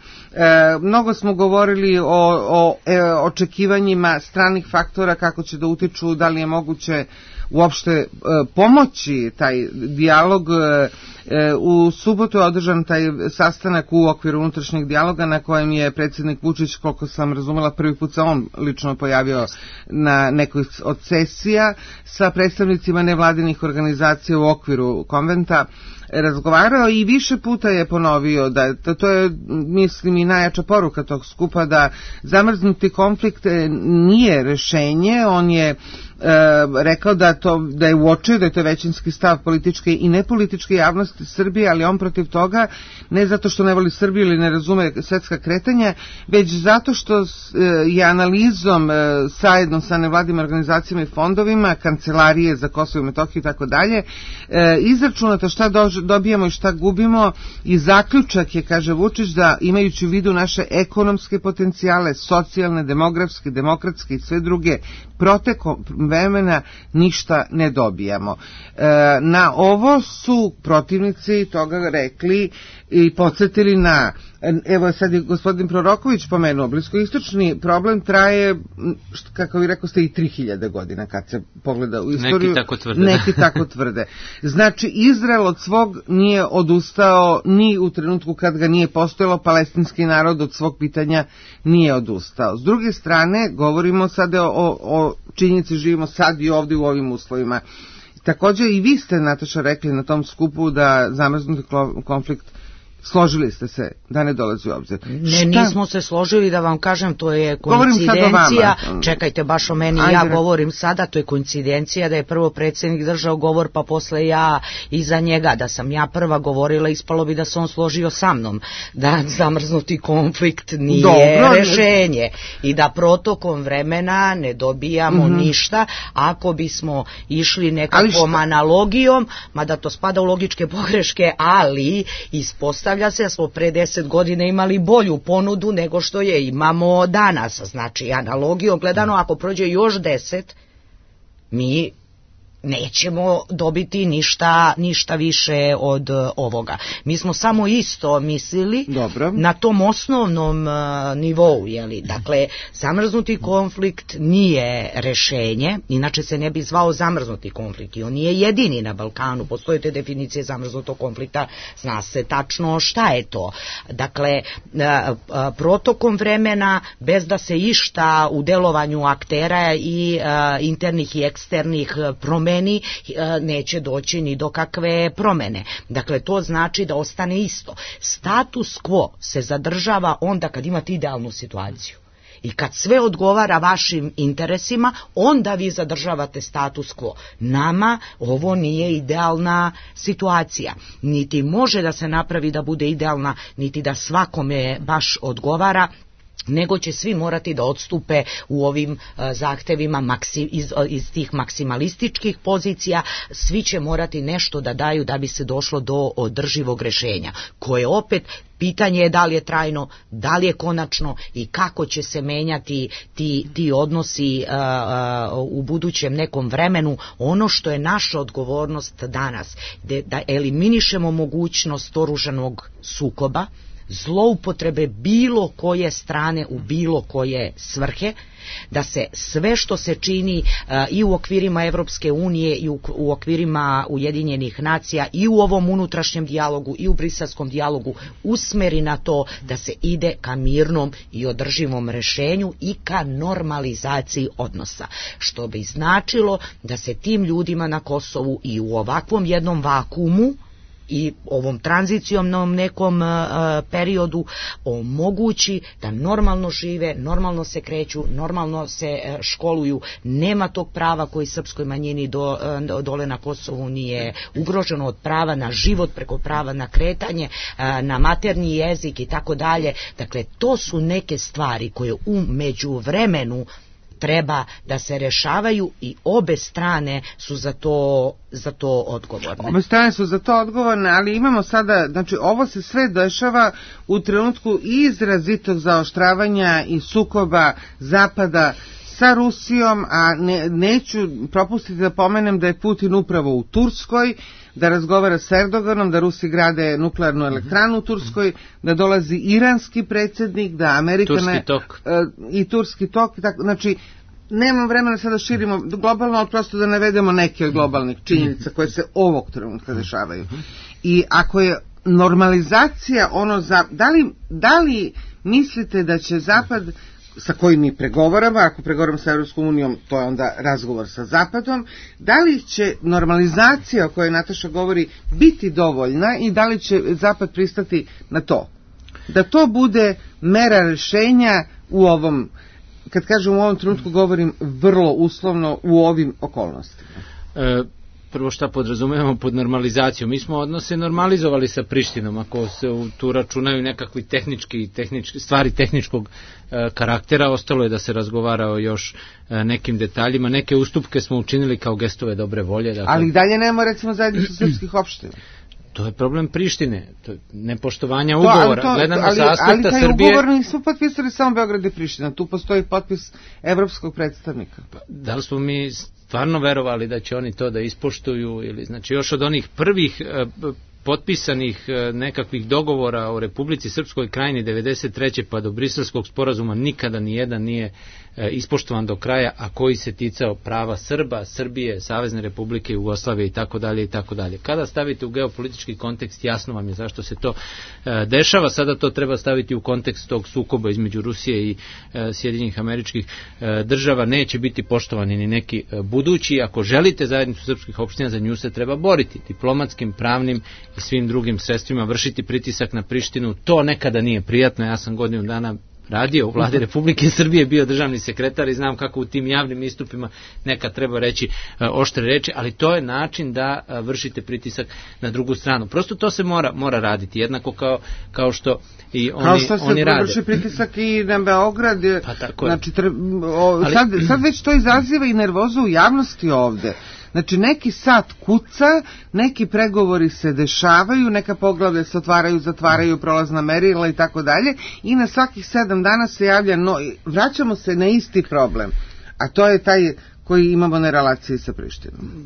Mnogo smo govorili o očekivanjima stranih faktora, kako će da utiču, da li je moguće uopšte pomoći taj dijalog. U subotu je održan taj sastanak u okviru unutrašnjeg dijaloga na kojem je predsjednik Vučić, koliko sam razumela, prvi put se on lično pojavio na nekoj od sesija sa predstavnicima nevladinih organizacija u okviru konventa, razgovarao i više puta je ponovio da to je, mislim, i najjača poruka tog skupa, da zamrznuti konflikt nije rešenje. On je rekao da je uočio da je to većinski stav političke i nepolitičke javnosti Srbije, ali on protiv toga, ne zato što ne voli Srbiju ili ne razume svetska kretanja, već zato što je analizom zajedno sa nevladinim organizacijama i fondovima, Kancelarije za Kosovo i Metohiju i tako dalje, izračunato šta dobijamo i šta gubimo, i zaključak je, kaže Vučić, da imajući u vidu naše ekonomske potencijale, socijalne, demografske, demokratske i sve druge, protekom vremena ništa ne dobijamo. Na ovo su protivnici toga rekli i podsjetili na, evo sad je gospodin Proroković pomenuo, bliskoistočni problem traje, kako vi rekao ste, i 3000 godina kad se pogleda u istoriju. Neki tako tvrde. Znači, Izrael od svog nije odustao ni u trenutku kad ga nije postojalo, palestinski narod od svog pitanja nije odustao. S druge strane, govorimo sada o činjenici, živimo sad i ovdje u ovim uslovima. Također i vi ste, Nataša, rekli na tom skupu da zamrznuti konflikt, složili ste se da ne dolazi u obzir. Nismo se složili, da vam kažem, to je koincidencija. Čekajte, baš o meni. Ja govorim sada, to je koincidencija da je prvo predsjednik držao govor, pa posle ja iza njega. Da sam ja prva govorila, ispalo bi da se on složio sa mnom, da zamrznuti konflikt nije rešenje i da protokom vremena ne dobijamo ništa. Ako bismo išli nekakvom analogijom, mada to spada u logičke pogreške, ali ispostavlja se da smo pre 10 godina imali bolju ponudu nego što je imamo danas. Znači, analogijom gledano, ako prođe još 10, mi nećemo dobiti ništa više od ovoga. Mi smo samo isto mislili na tom osnovnom nivou, jeli? Dakle, zamrznuti konflikt nije rešenje, inače se ne bi zvao zamrznuti konflikt i on nije jedini na Balkanu. Postoje te definicije zamrznutog konflikta, zna se tačno šta je to. Dakle, protokom vremena, bez da se išta u delovanju aktera i internih i eksternih promeni, neće doći ni do kakve promene. Dakle, to znači da ostane isto. Status quo se zadržava onda kad imate idealnu situaciju. I kad sve odgovara vašim interesima, onda vi zadržavate status quo. Nama ovo nije idealna situacija. Niti može da se napravi da bude idealna, niti da svakome baš odgovara. nego će svi morati da odstupe u ovim zahtevima iz tih maksimalističkih pozicija, svi će morati nešto da daju da bi se došlo do održivog rešenja, koje opet pitanje je da li je trajno, da li je konačno i kako će se menjati ti odnosi u budućem nekom vremenu. Ono što je naša odgovornost danas, da eliminišemo mogućnost oružanog sukoba, zloupotrebe bilo koje strane u bilo koje svrhe, da se sve što se čini i u okvirima Evropske unije i u okvirima Ujedinjenih nacija i u ovom unutrašnjem dijalogu i u briselskom dijalogu usmeri na to da se ide ka mirnom i održivom rešenju i ka normalizaciji odnosa, što bi značilo da se tim ljudima na Kosovu i u ovakvom jednom vakuumu i ovom tranzicionom nekom periodu omogući da normalno žive, normalno se kreću, normalno se školuju, nema tog prava koji srpskoj manjini dole na Kosovu nije ugroženo, od prava na život preko prava na kretanje, na maternji jezik i tako dalje. Dakle, to su neke stvari koje u međuvremenu treba da se rešavaju i obe strane su za to odgovorne. Obe strane su za to odgovorne, ali imamo sada, znači ovo se sve dešava u trenutku izrazitog zaoštravanja i sukoba Zapada sa Rusijom, a neću propustiti da pomenem da je Putin upravo u Turskoj, da razgovara s Erdoganom, da Rusi grade nuklearnu elektranu u Turskoj, da dolazi iranski predsjednik, da Amerika... I turski tok. Znači, nemam vremena sada širimo globalno, ali prosto da navedemo neke od globalnih činjenica koje se ovog trenutka dešavaju. I ako je normalizacija da li mislite da će Zapad, sa kojim mi pregovaramo, ako pregovaramo sa Evropskom unijom, to je onda razgovor sa Zapadom, da li će normalizacija o kojoj Nataša govori biti dovoljna i da li će Zapad pristati na to? Da to bude mera rešenja u ovom, kad kažem u ovom trenutku govorim vrlo uslovno, u ovim okolnostima. Prvo šta podrazumevamo pod normalizacijom? Mi smo odnose normalizovali sa Prištinom, ako se tu računaju nekakvi stvari tehničkog karaktera, ostalo je da se razgovara o još nekim detaljima, neke ustupke smo učinili kao gestove dobre volje. Dakle, ali dalje nemamo recimo zajednicu srpskih opština. To je problem Prištine, to je nepoštovanja ugovora. Gledano sa aspekta Srbije... Ali taj ugovor nisu potpisali samo Beograd i Priština, tu postoji potpis evropskog predstavnika. Da li smo mi stvarno verovali da će oni to da ispoštuju, ili znači još od onih prvih potpisanih nekakvih dogovora o Republici Srpskoj Krajini 93. pa do Briselskog sporazuma nikada nijedan nije ispoštovan do kraja, a koji se ticao prava Srba, Srbije, Savezne Republike Jugoslavije i tako dalje i tako dalje. Kada stavite u geopolitički kontekst, jasno vam je zašto se to dešava. Sada to treba staviti u kontekst tog sukoba između Rusije i Sjedinjenih Američkih Država. Neće biti poštovani ni neki budući. Ako želite zajednicu srpskih opština, za nju se treba boriti diplomatskim, pravnim i svim drugim sredstvima, vršiti pritisak na Prištinu. To nekada nije prijatno. Ja sam godinu dana radio u vladi Republike Srbije, bio državni sekretar i znam kako u tim javnim istupima nekad treba reći oštre reči, ali to je način da vršite pritisak na drugu stranu. Prosto to se mora raditi, jednako kao što i oni rade. Kao što se vrši pritisak i na Beograd. Pa tako znači, sad već to izaziva i nervozu u javnosti ovde. Znači, neki sat kuca, neki pregovori se dešavaju, neka poglavlja se otvaraju, zatvaraju, prolazna merila i tako dalje, i na svakih 7 dana se javlja, vraćamo se na isti problem, a to je taj koji imamo na relaciji sa Prištinom.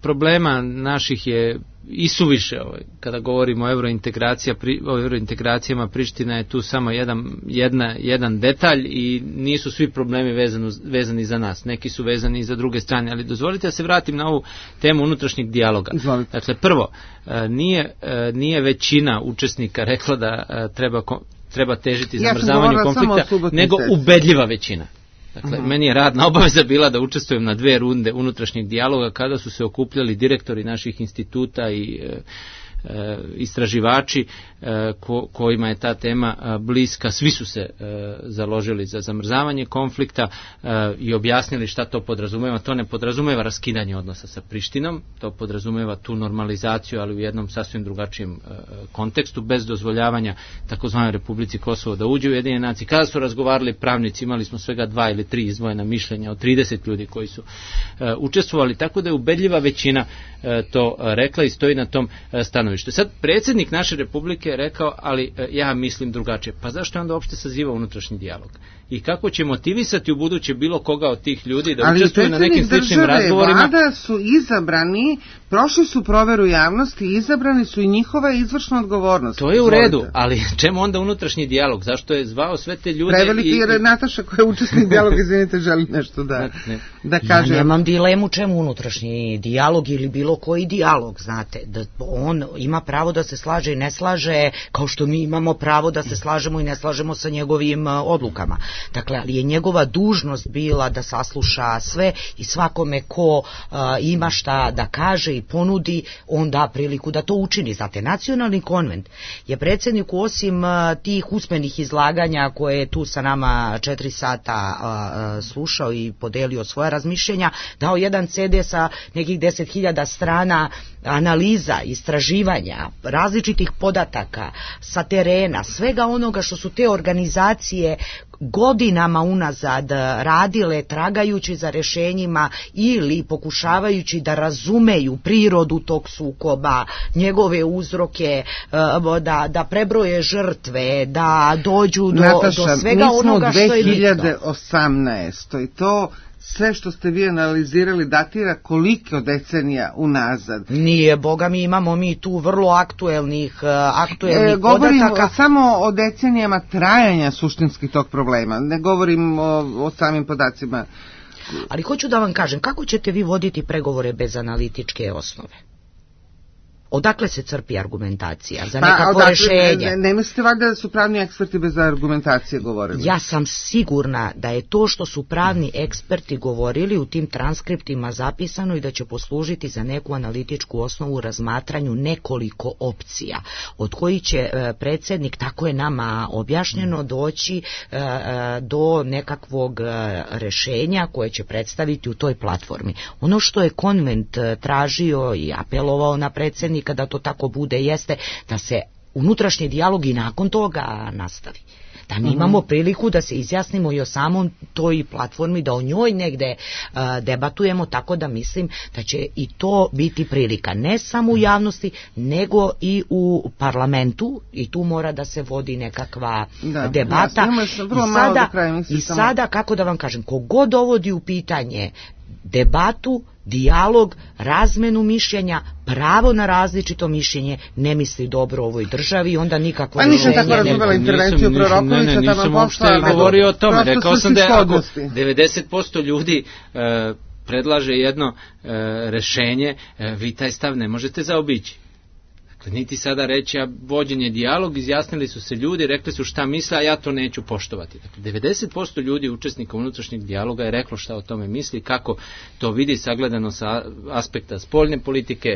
Problema naših je isuviše, kada govorimo o evrointegracijama, Priština je tu samo jedan detalj i nisu svi problemi vezani za nas, neki su vezani i za druge strane, ali dozvolite da se vratim na ovu temu unutrašnjeg dijaloga. Dakle, prvo, nije većina učesnika rekla da treba težiti zamrzavanju konflikta, nego ubedljiva većina. Dakle, meni je radna obaveza bila da učestvujem na 2 runde unutrašnjeg dijaloga kada su se okupljali direktori naših instituta i istraživači kojima je ta tema bliska, svi su se založili za zamrzavanje konflikta i objasnili šta to podrazumeva. To ne podrazumeva raskidanje odnosa sa Prištinom, to podrazumeva tu normalizaciju, ali u jednom sasvim drugačijem kontekstu, bez dozvoljavanja takozvanoj Republici Kosovo da uđe u Ujedinjene nacije. Kada su razgovarali pravnici, imali smo svega 2 ili 3 izdvojena mišljenja od 30 ljudi koji su učestvovali, tako da je ubedljiva većina to rekla i stoji na tom stanovištu. Sad, predsjednik naše Republike je rekao, ali ja mislim drugačije. Pa zašto je onda uopšte saziva unutrašnji dijalog? I kako će motivisati u buduće bilo koga od tih ljudi da učestvuje na nekim sličnim razgovorima? Ali vlada su izabrani, prošli su proveru javnosti, izabrani su i njihova izvršna odgovornost. To je u redu, ali čemu onda unutrašnji dijalog? Zašto je zvao sve te ljude? Preveliki jer Nataša koja je učesnik dijaloga, izvinite, želi nešto da kaže. Ja nemam dilemu čemu unutrašnji dijalog ili bilo koji dijalog, znate, da on ima pravo da se slaže i ne slaže, kao što mi imamo pravo da se slažemo i ne slažemo sa njegovim odlukama. Dakle, ali je njegova dužnost bila da sasluša sve i svakome ko ima šta da kaže i ponudi, on da priliku da to učini. Znate, Nacionalni konvent je predsjedniku osim tih usmenih izlaganja koje je tu sa nama 4 sata slušao i podelio svoja razmišljenja, dao jedan CD sa nekih 10.000 strana analiza, istraživanja, različitih podataka sa terena, svega onoga što su te organizacije godinama unazad radile tragajući za rješenjima ili pokušavajući da razumeju prirodu tog sukoba, njegove uzroke, da prebroje žrtve, da dođu do svega onoga što je bitno. Nataša, mi smo 2018. i to sve što ste vi analizirali datira koliko decenija unazad. Nije, boga mi imamo mi tu vrlo aktuelnih govorim podataka. Samo o decenijama trajanja suštinskih tog problema, ne govorim o samim podacima. Ali hoću da vam kažem, kako ćete vi voditi pregovore bez analitičke osnove? Odakle se crpi argumentacija za nekakvo rješenje? Ne mislite valjda da su pravni eksperti bez argumentacije govorili? Ja sam sigurna da je to što su pravni eksperti govorili u tim transkriptima zapisano i da će poslužiti za neku analitičku osnovu u razmatranju nekoliko opcija, od kojih će predsjednik, tako je nama objašnjeno, doći do nekakvog rješenja koje će predstaviti u toj platformi. Ono što je konvent tražio i apelovao na predsjednika da to tako bude jeste da se unutrašnji dijalog i nakon toga nastavi. Da mi imamo priliku da se izjasnimo i o samom toj platformi, da o njoj negde debatujemo, tako da mislim da će i to biti prilika. Ne samo u javnosti, nego i u parlamentu, i tu mora da se vodi nekakva debata. I sada, kako da vam kažem, kogod dovodi u pitanje debatu, dijalog, razmenu mišljenja, pravo na različito mišljenje, ne misli dobro ovoj državi i onda nikakvo rješenje. Nisam tako razumela intervenciju Prorokovića. Nisam uopšte govorio o tome. Rekao sam da ako 90% ljudi predlaže jedno rješenje, vi taj stav ne možete zaobići. Niti sada reći, vođenje dijalog, izjasnili su se ljudi, rekli su šta misle, a ja to neću poštovati. Dakle, 90% ljudi učesnika unutrašnjeg dijaloga je reklo šta o tome misli, kako to vidi sagledano sa aspekta spoljne politike,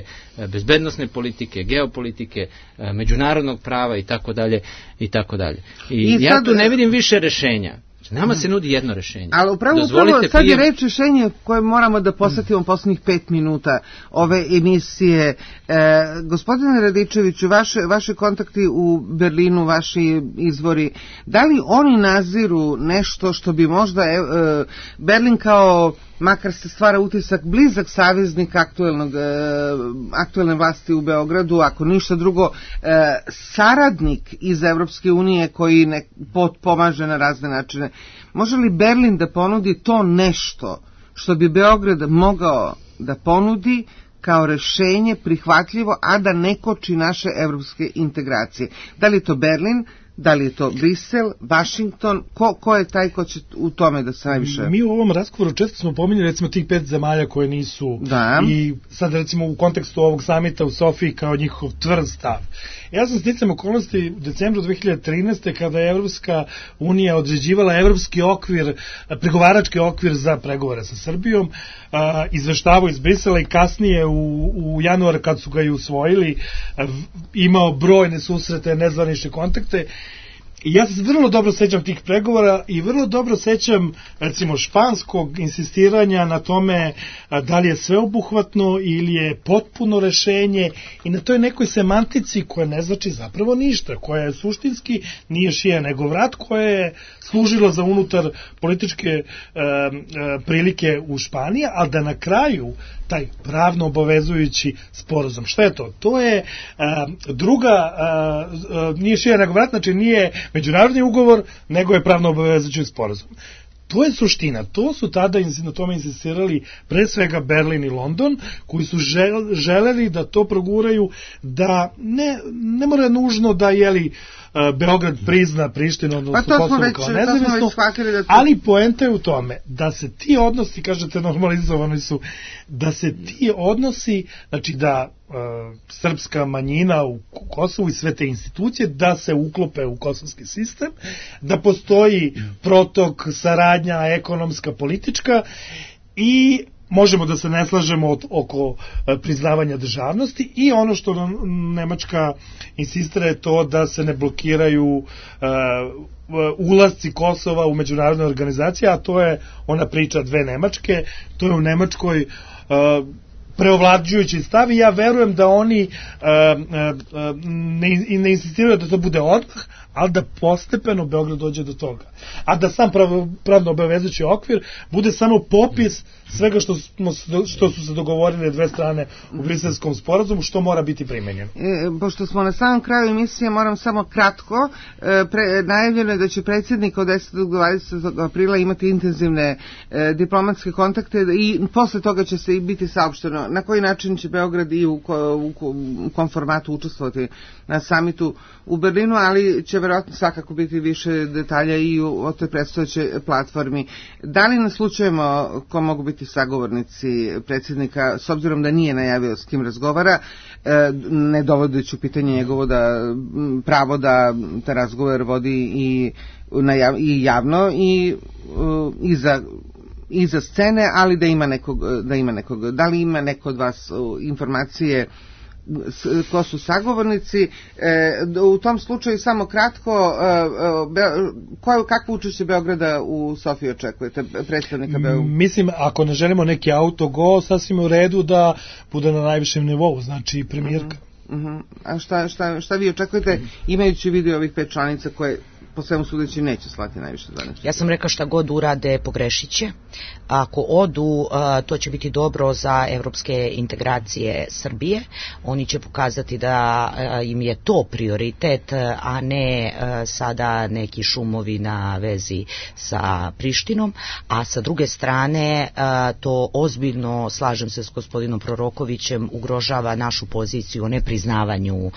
bezbednosne politike, geopolitike, međunarodnog prava i tako dalje i tako dalje. I ja tu ne vidim više rješenja. Nama se nudi jedno rješenje. Ali upravo sad je reč rješenje koje moramo da posvetimo posljednjih 5 minuta ove emisije. Gospodine Radičeviću, vaši kontakti u Berlinu, vaši izvori, da li oni naziru nešto što bi možda Berlin kao, makar se stvara utisak, blizak saveznik aktuelne vlasti u Beogradu, ako ništa drugo, saradnik iz Evropske unije koji pomaže na razne načine. Može li Berlin da ponudi to nešto što bi Beograd mogao da ponudi kao rješenje prihvatljivo, a da ne koči naše evropske integracije? Da li to Berlin, Da li je to Brisel, Vašington, ko je taj ko će u tome da se najviše... Mi u ovom razgovoru često smo pominjali recimo tih 5 zemalja koje nisu i sad recimo u kontekstu ovog samita u Sofiji kao njihov tvrd stav. Ja sam sticajem okolnosti u decembru 2013. kada je Evropska unija određivala evropski okvir, pregovarački okvir za pregovore sa Srbijom, izveštavao iz Brisela i kasnije u januar kad su ga i usvojili, imao brojne susrete, nezvanične kontakte. I ja se vrlo dobro sećam tih pregovora i vrlo dobro sećam recimo španskog insistiranja na tome da li je sveobuhvatno ili je potpuno rešenje i na toj nekoj semantici koja ne znači zapravo ništa, koja je suštinski nije šija nego vrat, koja je služila za unutar političke prilike u Španiji, ali da na kraju taj pravno obavezujući sporazum. Šta je to? To je druga, nije šija nego vrat, znači nije međunarodni ugovor, nego je pravno obavezujući sporazum. To je suština. To su tada na tome insistirali pre svega Berlin i London, koji su želeli da to proguraju, da ne mora nužno da Beograd prizna Prištinu, odnosno Kosovo kao nezavisno, ali poenta je u tome da se ti odnosi, kažete normalizovani su, da se ti odnosi, znači da srpska manjina u Kosovu i sve te institucije da se uklope u kosovski sistem, da postoji protok, saradnja ekonomska, politička i možemo da se ne slažemo oko priznavanja državnosti i ono što Nemačka insistira je to da se ne blokiraju ulasci Kosova u međunarodne organizacije, a to je ona priča dve Nemačke, to je u Nemačkoj preovlađujući stav i ja verujem da oni ne insistiraju da to bude odmah, ali da postepeno Beograd dođe do toga. A da sam pravno obavezujući okvir bude samo popis svega što su se dogovorili dve strane u Briselskom sporazumu, što mora biti primenjeno. Pošto smo na samom kraju emisije, moram samo kratko, najavljeno je da će predsjednik od 10. do 20. aprila imati intenzivne diplomatske kontakte i posle toga će se i biti saopšteno na koji način će Beograd i u kom formatu učestvovati na samitu u Berlinu, ali će verovatno svakako biti više detalja i o toj predstojećoj platformi. Da li naslučujemo ko mogu biti sagovornici predsjednika, s obzirom da nije najavio s kim razgovara, ne dovodeći u pitanje njegovo pravo da te razgovor vodi i javno i za scene, ali da ima nekog. Da li ima neko od vas informacije ko su sagovornici? U tom slučaju samo kratko, kakvo učešće Beograda u Sofiji očekujete, predstavnika Beograda? Mislim, ako ne želimo neki autogol, sasvim u redu da bude na najvišem nivou, znači premijerka. A šta vi očekujete, imajući vidio ovih 5 članica koje po svemu sudeći neće slati najviše zvaničnika? Ja sam rekla šta god urade pogrešit će. Ako odu, to će biti dobro za evropske integracije Srbije. Oni će pokazati da im je to prioritet, a ne sada neki šumovi na vezi sa Prištinom. A sa druge strane, to ozbiljno, slažem se s gospodinom Prorokovićem, ugrožava našu poziciju o nepriznavanju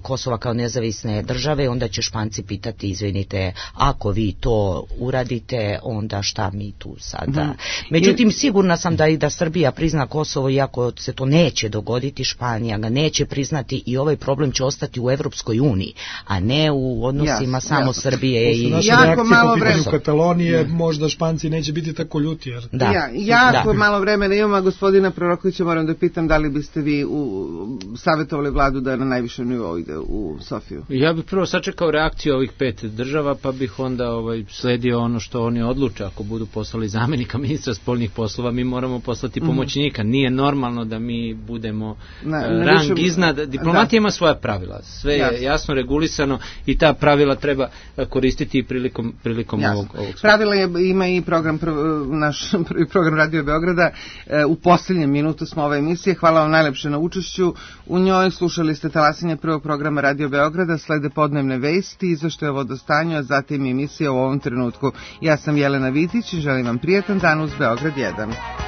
Kosova kao nezavisne države. Onda će Španci pitati, izvinite, ako vi to uradite, onda šta mi tu sada? Međutim, sigurna sam da Srbija prizna Kosovo, iako se to neće dogoditi, Španija ga neće priznati i ovaj problem će ostati u Evropskoj uniji, a ne u odnosima samo Srbije i... Jako malo vremena u Katalonije, možda Španci neće biti tako ljuti. Jako malo vremena imamo, gospodina Prorokovića moram da pitam da li biste vi savjetovali vladu da na najvišem nivou ide u Sofiju? Ja bih prvo sačekao reakciju ovih 5 država, pa bih onda sledio ono što oni odluče. Ako budu poslali zamenika ministra spoljnih poslova, mi moramo poslati pomoćnika. Nije normalno da mi budemo rang iznad. Diplomatija ima svoja pravila. Sve je jasno regulisano i ta pravila treba koristiti prilikom ovog pravila ima i naš prvi program Radio Beograda. U posljednjem minutu smo ove emisije. Hvala vam najlepše na učešću. U njoj slušali ste talasanje prvog programa Radio Beograda, slede podnevne vesti, izveštaje o vodostanju, a zatim emisija u ovom trenutku. Ja sam Jelena Vitić i želim vam prijetan dan uz Beograd 1.